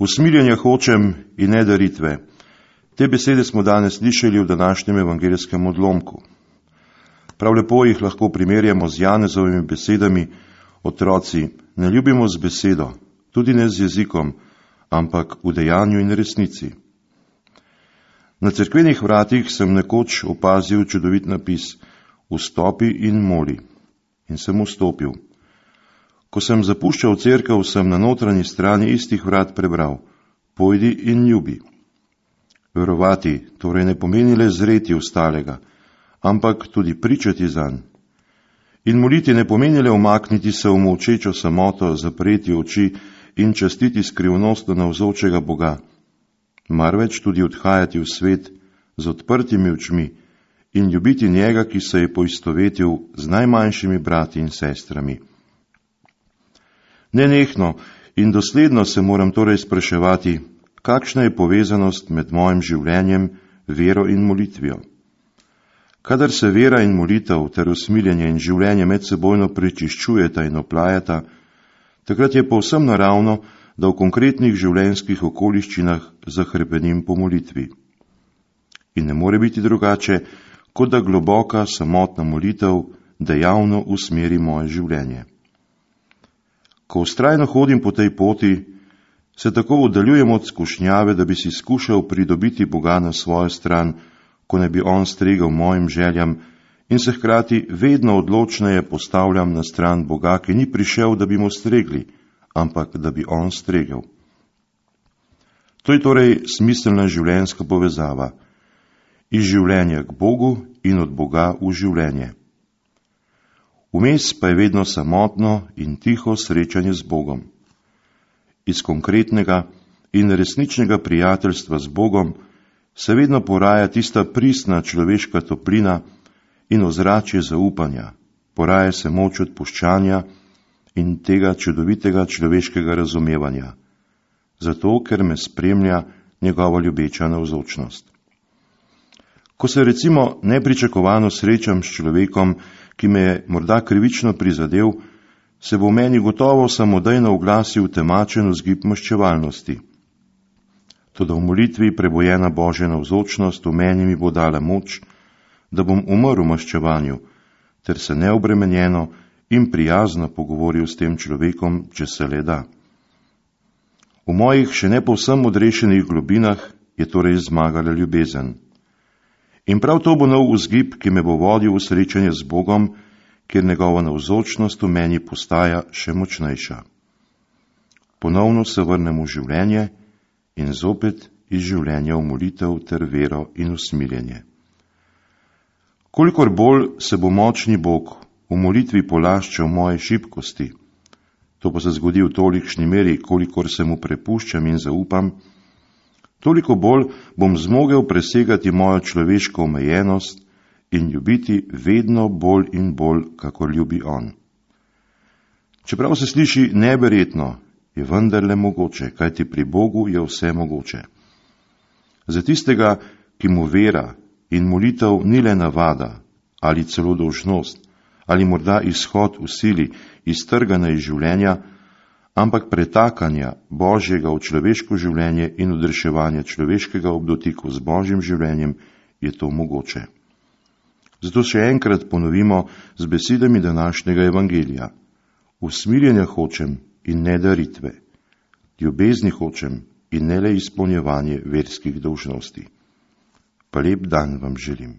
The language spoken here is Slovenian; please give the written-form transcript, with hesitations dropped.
Usmiljenja hočem in ne daritve. Te besede smo danes slišali v današnjem evangelijskem odlomku. Prav lepo jih lahko primerjamo z Janezovimi besedami: otroci, ne ljubimo z besedo, tudi ne z jezikom, ampak v dejanju in resnici. Na cerkvenih vratih sem nekoč opazil čudovit napis: vstopi in moli. In sem vstopil. Ko sem zapuščal cerkev, sem na notranji strani istih vrat prebral: pojdi in ljubi. Verovati torej ne pomeni le zreti ostalega, ampak tudi pričati zanj. In moliti ne pomeni le umakniti se v molčečo samoto, zapreti oči in častiti skrivnostno navzočega Boga, marveč tudi odhajati v svet z odprtimi očmi in ljubiti njega, ki se je poistovetil z najmanjšimi brati in sestrami. Nenehno in dosledno se moram torej spraševati, kakšna je povezanost med mojim življenjem, vero in molitvijo. Kadar se vera in molitev ter usmiljenje in življenje medsebojno prečiščujeta in oplajata, takrat je povsem naravno, da v konkretnih življenjskih okoliščinah zahrepenim po molitvi. In ne more biti drugače, kot da globoka, samotna molitev dejavno usmeri moje življenje. Ko vztrajno hodim po tej poti, se tako oddaljujem od skušnjave, da bi si skušal pridobiti Boga na svojo stran, ko ne bi on stregel mojim željam, in se hkrati vedno odločneje postavljam na stran Boga, ki ni prišel, da bi mu stregli, ampak da bi on stregel. To je torej smiselna življenjska povezava. Iz življenja k Bogu in od Boga v življenje. Vmes pa je vedno samotno in tiho srečanje z Bogom. Iz konkretnega in resničnega prijateljstva z Bogom se vedno poraja tista pristna človeška toplina in ozračje zaupanja, poraja se moč odpuščanja in tega čudovitega človeškega razumevanja, zato ker me spremlja njegova ljubeča navzočnost. Ko se recimo nepričakovano srečam s človekom, ki me je morda krivično prizadel, se bo v meni gotovo samodejno oglasil temačen vzgib maščevalnosti. Toda v molitvi prebojena Božja navzočnost v meni mi bo dala moč, da bom umrl v maščevanju, ter se neobremenjeno in prijazno pogovoril s tem človekom, če se le da. V mojih še ne povsem odrešenih globinah je torej zmagala ljubezen. In prav to bo nov vzgib, ki me bo vodil v srečanje z Bogom, kjer njegova navzočnost v meni postaja še močnejša. Ponovno se vrnem v življenje in zopet iz življenja v molitev ter vero in usmiljenje. Kolikor bolj se bo močni Bog v molitvi polaščal moje šibkosti, to pa se zgodi v tolikšni meri, kolikor se mu prepuščam in zaupam, toliko bolj bom zmogel presegati mojo človeško omejenost in ljubiti vedno bolj in bolj, kakor ljubi on. Čeprav se sliši neverjetno, je vendarle mogoče, kajti pri Bogu je vse mogoče. Za tistega, ki mu vera in molitev ni le navada ali celo dolžnost ali morda izhod v sili iztrgana iz življenja, ampak pretakanja Božjega v človeško življenje in odreševanja človeškega ob dotiku z Božjim življenjem, je to mogoče. Zato še enkrat ponovimo z besedami današnjega evangelija: usmiljenja hočem in ne daritve, ljubezni hočem in ne le izpolnjevanje verskih dolžnosti. Pa lep dan vam želim.